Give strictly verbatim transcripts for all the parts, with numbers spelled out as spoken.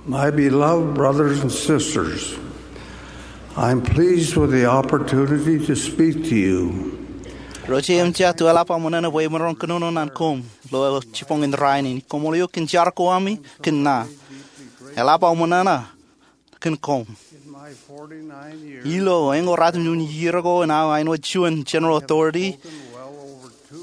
My beloved brothers and sisters, I'm pleased with the opportunity to speak to you. Ro jeiū im jatū, eḷap aō ṃōṇōṇō bwe imaroñ kōnono ñan koṃ ilo jibboñ in rainin. Koṃṃool eok kōn jar ko ami kōn ṇa. Eḷap aō ṃōṇōṇō kōn koṃ. Ilo eñin ratimjuon iiō ko in aō āinwōt juon General Authority,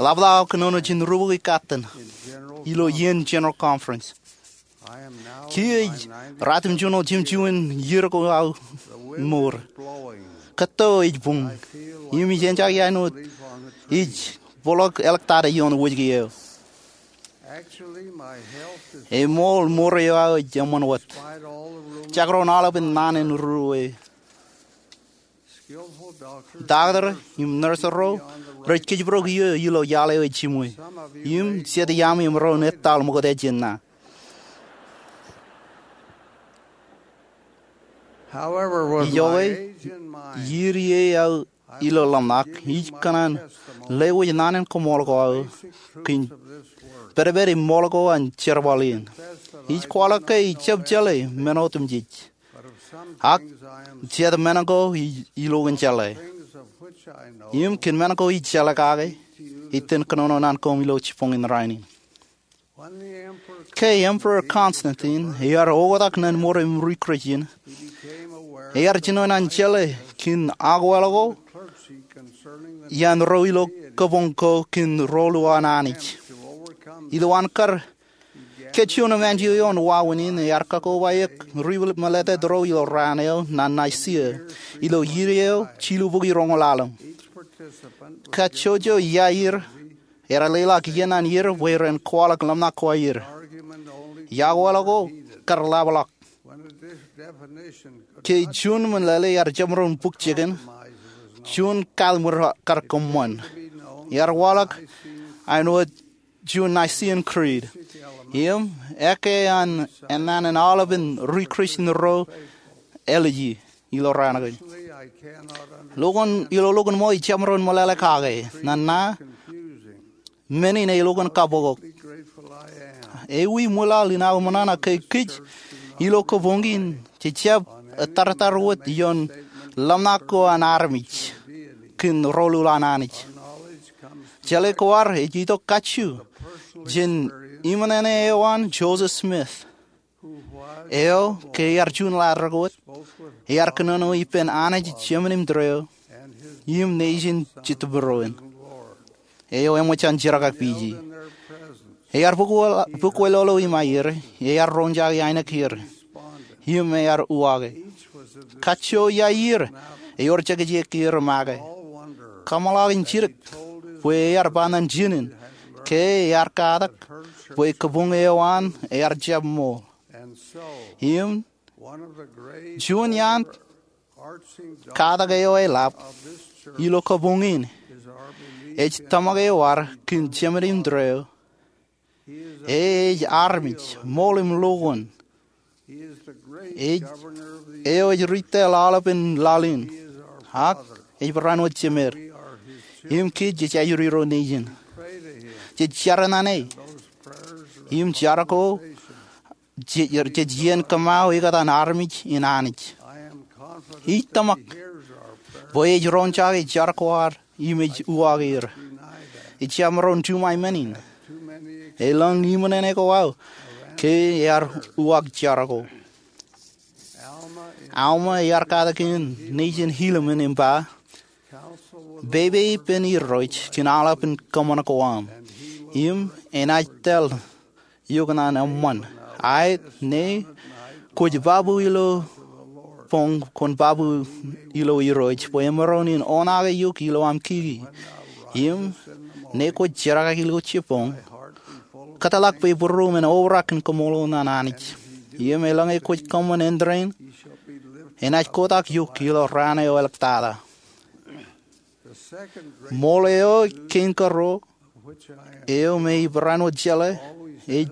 eḷapḷọk aō kōnono jān rubukwi katten ilo iien General Conference. Kiiō ej ratimjuonñoul jimjuon iiō ko aō mour. Kōtto ej buñ im ij eñjake āinwōt ij bōkḷọk āliktata ioon wōjke eo. Eṃool, mour eo aō ej eṃṃan wōt, jekdọọn aolepen naan in ruo. Taktō im nōrs ro rej kōjparok iiō ilo iaḷ eo ej jiṃwe, im jet iaami emaroñ etal ṃokta jān ṇa. Ijoke, iiō eo aō ilo ḷōmṇak, ij kōṇaan lewōj naan in koṃṃool ko aō kōn pedped im ṃool ko an jerbal in. Ij kwaḷọk ke ij jab jeḷā men otemjej, ak jet men ko ij ilowaak in jeḷā. Im kōn men ko ij jeḷā kake, ij itōn kōnono ñan koṃ ilo jibboñ in rainin. Ke Emperor Constantine ear oktak ñan mour im ri-Christian, ear jino ñan jeḷā kōn akwāāl ko iaan ro ilo kabuñ ko kōn rōl eo an Anij. Ilowaan kar kajjioñ im anjọ ioon wāween in, ear kakobaik ri-meḷeḷetak ro ilo raan eo ñan Nicaea ilo iiō eo jilubukwi roñoul ḷalem. Kajjojo iaer ear leḷọk iien an ier bwe ren kwaḷọk ḷōmṇak ko aer. Akwāāl ko kar ḷapḷọk. Ke juon meḷeḷe ear jab maroñ bōk jikin, juon kataṃwe kar kōṃṃan. Ear waḷọk āinwōt juon Nicene Creed, im ekkā an ennaan in aolepen ri-Christian ro āliji ilo raan kein. Ilo lukkuun ṃōj ij jab maroñ meḷeḷe kake, ñan ṇa men in elukkuun kabokbok. Ewi ṃwilaḷ in aō ṃōṇōṇō ke kōj ilo kabuñ in jej jab ettārtārwōt ioon ḷōmṇak ko an armej kōn rōl eo an Anij. Jeḷā ko ad ej itok kajju jān iṃōṇōṇō eo an Joseph Smith, eo ke ear juon laḷ rej wōt, ear kōnono ippān Anij Jemān im Tōre eo im nejin Jetōb Irooj eo eṃōj an jerkakpeje. Ear bōk wō-, bōk wōtlọtḷọk im aier, ear roñjake ainikien er, im ear uwaake. Kajjo iaan er ewōr jekjekier make. Kaṃṃoolol in jidik bwe ear ba ñan jinen ke ear katak bwe kabuñ eo an ear jab ṃool. Im juon iaan katak eo eḷap ilo kabuñ in ej tōmak eo ad kōn Jemān im Tōre eo. E ej armej ṃool im lukkuun. Ej, eo ej ri-tōl aolepen laḷ in, ak ej barāinwōt Jemed. Im kōj jej ajri ro nejin. Jej jar ñan e. Im jar ko jej, jej iien kōṃṃao ekōtaan armej in Anij. Ij tōmak bwe ej roñjake jar ko ad im ej uwaake er. Ij jab maroñ juṃae men in. Elōñ iṃōṇōṇō ko aō ke ear uwaak jar ko. Alma ear katak iien nejin Helaman im ba, pepe ippān Irooj kōn aolepen kōṃṃan ko aṃ, im enaaj tōl eok ñan eṃṃan. Aet, ñe kwōj babu ilo boñ, kwōn babu ilo Irooj, bwe emaroñ in oṇaake eok ilo aṃ kiki. Im ñe kwōj jerkaki ilo jibboñ, kōtḷọk bwe būruōm en obrak in koṃṃool ñan Anij. Im eḷaññe kwōj kōṃṃan āindein, enaaj kotak eok ilo raan eo āliktata. Ṃool eo kein karuo, eo me ij barāinwōt jeḷā, ej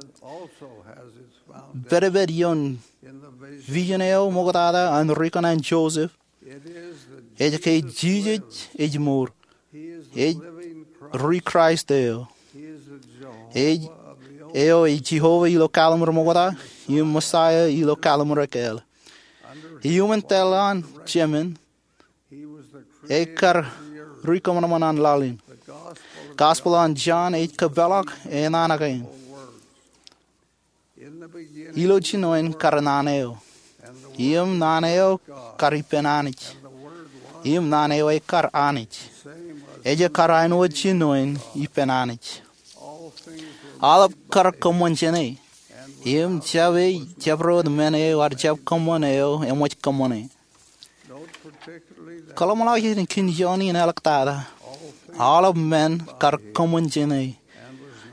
pedped ioon vision eo ṃoktata an ri-kōṇaan Joseph. Ej ke Jisōs ej mour. Ej ri-Kraist eo. Ej eo ej Jeova ilo kaḷmūrmokta im Mesaia ilo kaḷmūrkeel. Iuṃwin tōl an Jemān, e kar ri kōṃanṃan an laḷ in. Gospel an Jon ej kōpeḷḷọk e naan kein. Ilo jinoin kar naan eo, im naan eo kar ippān Anij, im naan eo ekar Anij. Ej kar āinwōt jinoin ippān Anij. Aolep kar kōṃṃan jāne, im jab ej jabdewōt men eo ear jab kōṃṃan eo eṃōj kōṃṃane. Kōḷmānḷọkjeṇ kōn ioon in āliktata, aolep men kar kōṃṃan jāne,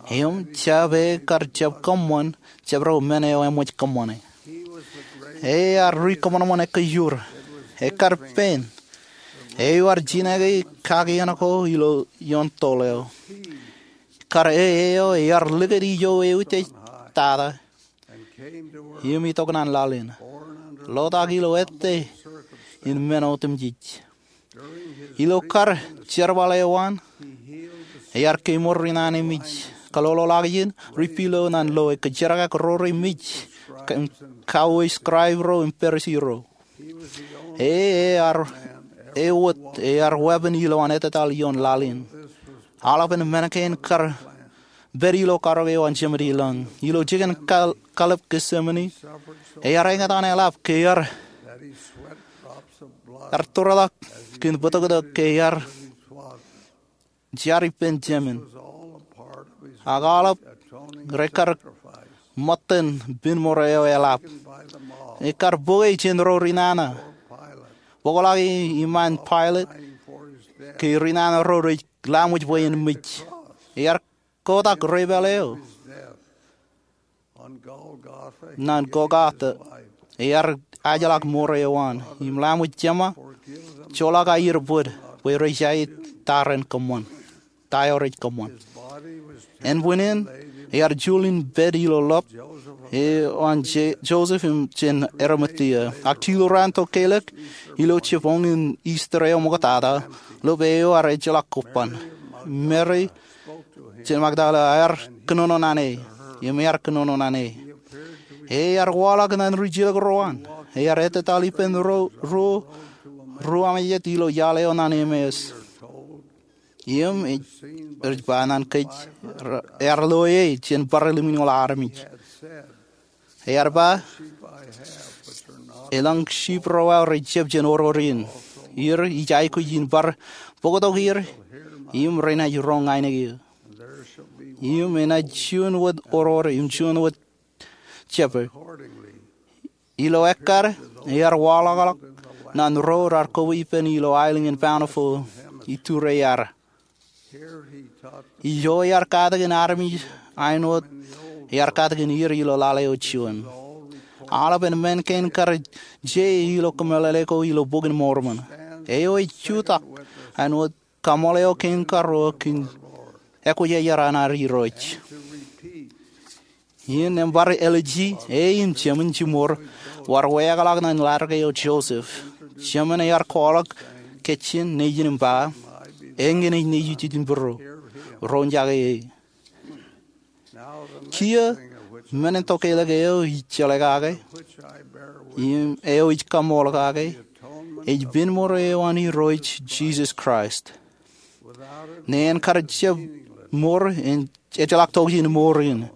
im jab e kar jab kōṃṃan jabdewōt men eo eṃōj kōṃṃane. E ear ri kōṃanṃan ekkejur. Ekar pein. Eo ear jinōke kakien ko ilo ioon toḷ eo. Kar e eo ear likūt ijo eutiej tata im itok naan laḷ in, lotak ilo ettā in men otemjej. Ilo kar jerbal eo an, ear kemour ri naan emej, kaloloḷọkjeṇ, ri pilo naan loe, kōjerakak ro remej, kauwe scribe ro im Parisi ro. E, e ear, e wōt, ear weeppān ilowaan ettataḷ ioon laḷ in. Aolepen men kein kar pād ilo karōk eo an Jemān ilañ. Ilo jikin kal-, kalep Getsemane, ear eñtaan eḷap ke ear, ear tōretak kōn bōtōktōk ke ear jar ippān Jemān. Ak aolep rekar ṃōttan pen mour eo eḷap. Ekar bōke jān ro ri nana. Bōkḷọk e iṃaan Pailat, ke ri nana ro rej laṃōj bwe en mej. Ear kotak repaale eo naan Golgota, ear ajḷọk mour eo an, im laṃōj jema, joḷọk aier bōd, bwe rej aet ta ren kōṃṃan, ta eo rej kōṃṃan. Ānbwinnin, ear juḷ in pād ilo lọp eo an Je-, Joseph im jān Arimathea. Ak jilu raan tokālik, ilo jibboñ in Easter eo ṃoktata, lọp eo ear ejjeḷọk kobban. Mary jān Magdala ear kōnono naan e, im ear kōnono naan e. E ear waḷọk naan rijilōk ro an. Ear ettataḷ ippān ro, ro, ro amejet ilo iaḷ eo naan Emmaus. Im ej, rej ba naan kōj, ear loe e jān bar limñoul armej. Ear ba, elōñ sip ro aō rej jab jān oror in. Ir ij aikuj in bar bōktok er, im renaaj roñ ainikien. Im enaaj juon wōt oror, im juon wōt jepper. Ilo ekkar, ear waḷọkḷọk naan ro raar koba ippān ilo aelōñ in Bountiful, iturei ear. Ijo ear katakin armej āinwōt ear katakin er ilo laḷ eo juon. Aolepen men kein kar je ilo kōmeḷeḷe ko ilo Bok in Mormon. Eo ej jutak āinwōt kaṃool eo kein karuo kōn ekwōjarjar an ad Irooj. In bar Elij, e im Jemān jiṃor, bar weeḷọk naan ḷadik eo Joseph. Jemān ear kwaḷọk kajjien nejin im ba, eñin ej nejū jitōnbōro, roñjake e. Kiiō, men in tokālik eo ij jeḷā kake, im eo ij kaṃool kake, ej pen mour eo an Irooj Jisōs Kraist. Neen kar jab mour, en ejjeḷọk tokjān mour in.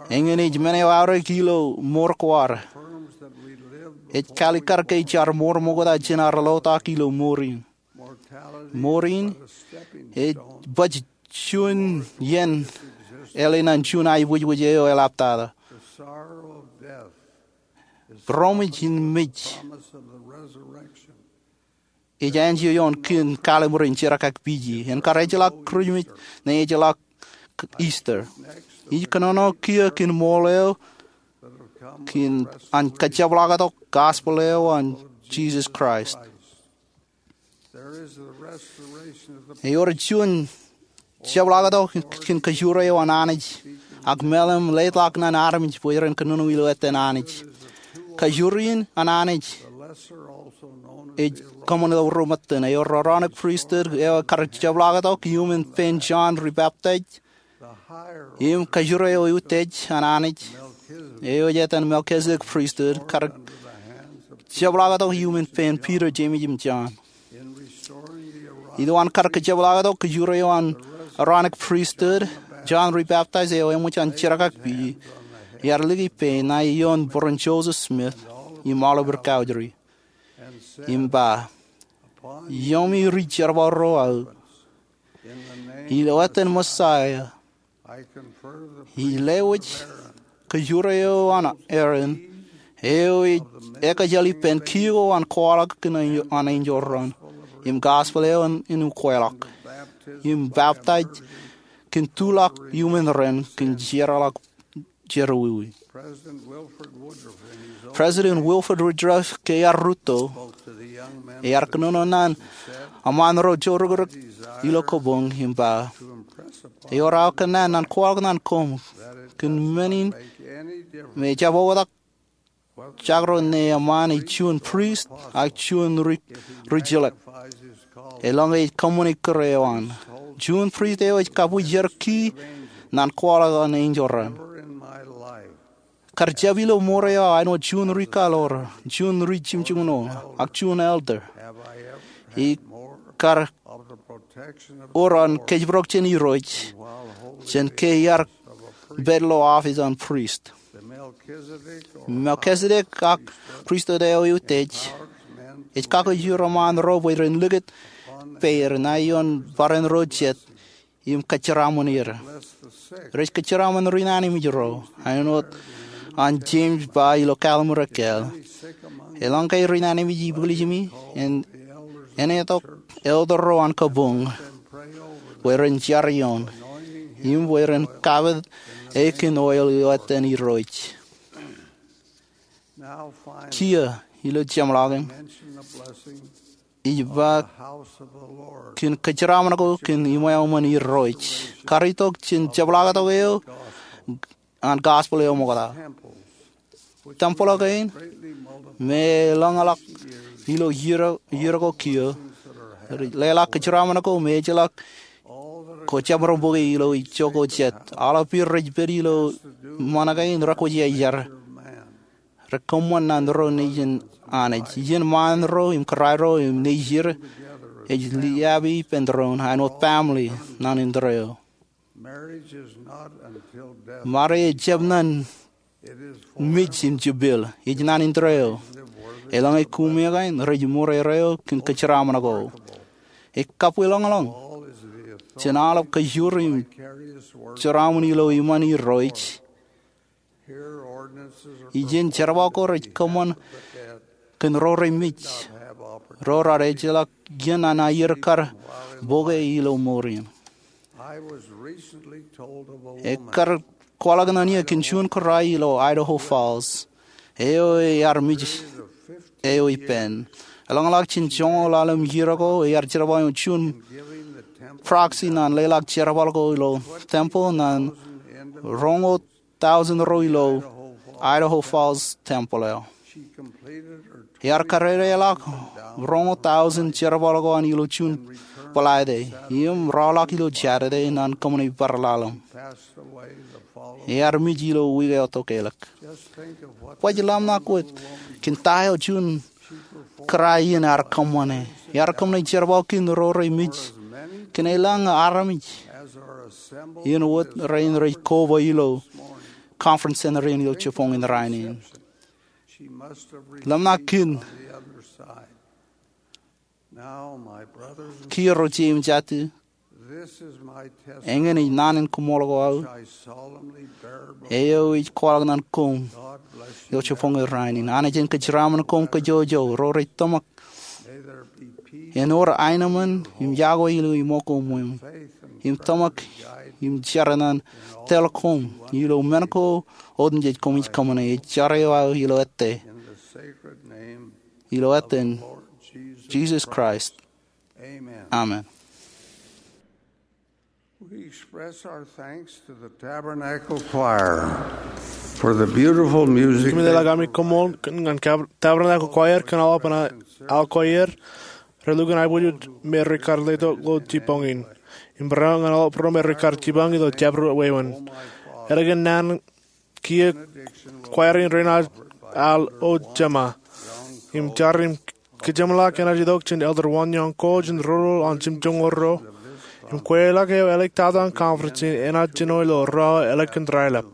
Eñin ej men eo aorōk ilo mour ko ad. Ej kalikkar ke jaar mour ṃokta jān ad lotak ilo mour in. Mour in ej baj juon iien ālikin juon aebwijbwij eo eḷaptata. Būroṃōj in mej ej āinjeo ioon kōn kalimur in jerkakpeje. En kar ejjeḷọk Kūrijmej, neen ejjeḷọk Easter. Ij kōnono kiiō kōn ṃool eo kōn an kajjepḷaaktok gospel eo an Jisōs Kraist. Ewōr juon jepḷaaktok kōn kajoor eo an Anij, ak meḷeḷe im leḷọk naan armej bwe ren kōnono ilo ettōn Anij. Kajoor in an Anij ej kōṃṃan ilo ruo ṃōttan. Ewōr Aaronic Priesthood eo kar jepḷaaktok iuṃwin pein John Rebaptist. Im kajjure eo eutiej an Anij, eo ej etan Melchizedek Priesthood, kar jepḷaaktok iuṃwin pein Peter, Jemes im Jon. Ilo an kar kajepḷaaktok kajjure eo an Aaronic Priesthood, John Rebaptizer eo eṃōj an jerkakpeje, ear liki pein ṇae ioon bōran Joseph Smith im aolep ri kaujri, im ba, "Iuṃwin ri jerbal ro aō, ilo etan Messiah, I lewōj kajjure eo an Aaron, eo ej ekajjeḷọk ippān kiiō ko an kwaḷọk kōn an enjeḷ raṇ im gospel eo an ukweḷọk, im baptize kōn tuḷọk iuṃwin ren kōn jeorḷọk jerọwiwi." President Wilford Woodruff, ke ear rūtto, ear kōnono ñan eṃṃaan ro joorūkrūk ilo kabuñ im ba, "Ewōr aō kōnnaan ñan kwaḷọk ñan koṃ kōn men in me ejjab oktak jakro ñe eṃṃaan ej juon priest ak juon ri, ri jilōk, eḷaññe ej kōṃṃani kūr eo an. Juon priest eo ej kabwijer kii ñan kwaḷọk an enjeḷ raṇ. Kar jab ilo ṃoor eo aō āinwōt juon ri kaḷoor, juon ri jimjuṃno, ak juon elder, ikar wōr an kōjparok jān Irooj jān ke iar pād ilo office an priest." Melchizedek ak priesthood eo eutiej ej kakkejur eṃṃaan ro bwe ren likūt peid ṇae ioon barāinwōt ro jet im kōjeraṃōn er. Rej kōjeraṃōn ri ṇanemej ro, āinwōt an Jemes ba ilo Kāllim Rekāāl, "Eḷaññe ri ṇanemej ej ibwiljimi, en, enaaj itok elder ro an kabuñ bwe ren jar ioon, im bwe ren kapit e kōn oil ilo etan Irooj." Kiiō ilo jeṃḷọkin ij ba kōn kōjeraṃōn ko kōn iṃweo iṃōn Irooj, kar itok jān jepḷaaktok eo an gospel eo ṃokta. Tempel kein, me eḷōñḷọk ilo iiō, iiō ko kiiō, leḷọk kōjeraṃōn ko me ejjeḷọk ko jabdewōt bōke ilo ijo ko jet. Aolep iien rej pād ilo ṃōṇōṇō kein rekwōj iajar. Rekōṃṃan ñan ro nejin Anij. Iien ṃaan ro im kōrā ro im nejier ej liabi ippān doon, āinwōt family ñan indeeo. Marriage ejjab ñan mej im jepel, ej ñan indeeo. Eḷaññe kūmeo kain rej ṃōrere eok kōn kōjeraṃōn ko, ekkā bwe ḷōñḷōñ jān aolep kōjjur im jeraṃōn ilo iṃaan Irooj. Ijeṇ jerbal ko rej kōṃṃan kōn ro remej, ro raar ejjeḷọk iien an aier kar bōke ilo mour in. Ekkar kwaḷọk ñan eō kōn juon kōrā ilo Idaho Falls, eo ear mej eo ippān. Eḷōñḷọk jān joñoul ḷalem iiō ko, ear jerbal ioon juon proxy ñan leḷọk jerbal ko ilo tempel ñan roñoul tọujin ro ilo Idaho Falls tempel eo. Ear kadedeḷọk roñoul tọujin jerbal ko an ilo juon bōḷaide, im raorḷọk ilo Jādede ñan kōṃṃane bar ḷalem. Ear mej ilo wiik eo tokālik. Baj ḷōmṇak wōt kōn ta eo juon kōrā in ear kōṃṃane. Ear kōṃṃane jerbal kōn ro remej kōn elōñ armej in wōt rein rej koba ilo conference center in ilo jibboñ in rainin. Ḷōmṇak kōn kiiō ro jeiū im jatū. Eñin ej naan in koṃṃool ko aō, eo ij kwaḷọk ñan koṃ ilo jibboñ in rainin. Anij en kōjeraṃōn koṃ kōjwōjwōj, ro rej tōmak. En wōr aenōṃṃan im yokwe ilo iṃō ko ṃweo, im tōmak im jar ñan tōl koṃ ilo men ko otemjej koṃij kōṃṃane. Ij jar eo aō ilo ettā, ilo etan Jisōs Kraist. Amen. We express our thanks to the Tabernacle Choir for the beautiful music. Kōmij leḷọk ami koṃṃool ñan Tabernacle Choir kōn aolepān aō koaer, relukkuun aiboojoj me rekar letok ilo jibboñ in. im barāinwōt ñan aolep ro me rekar jipañ ilo jabdewōt wāween. Ālikin naan kiiō, kwaer in rein ear al O Jema im jar im kajeṃḷọk enaaj itok jān Elder Won Yong Ko jān roñoul an jimjuonñoul ruo im kweilọk eo āliktata in conference in enaaj jino ilo raan ālikin raelep.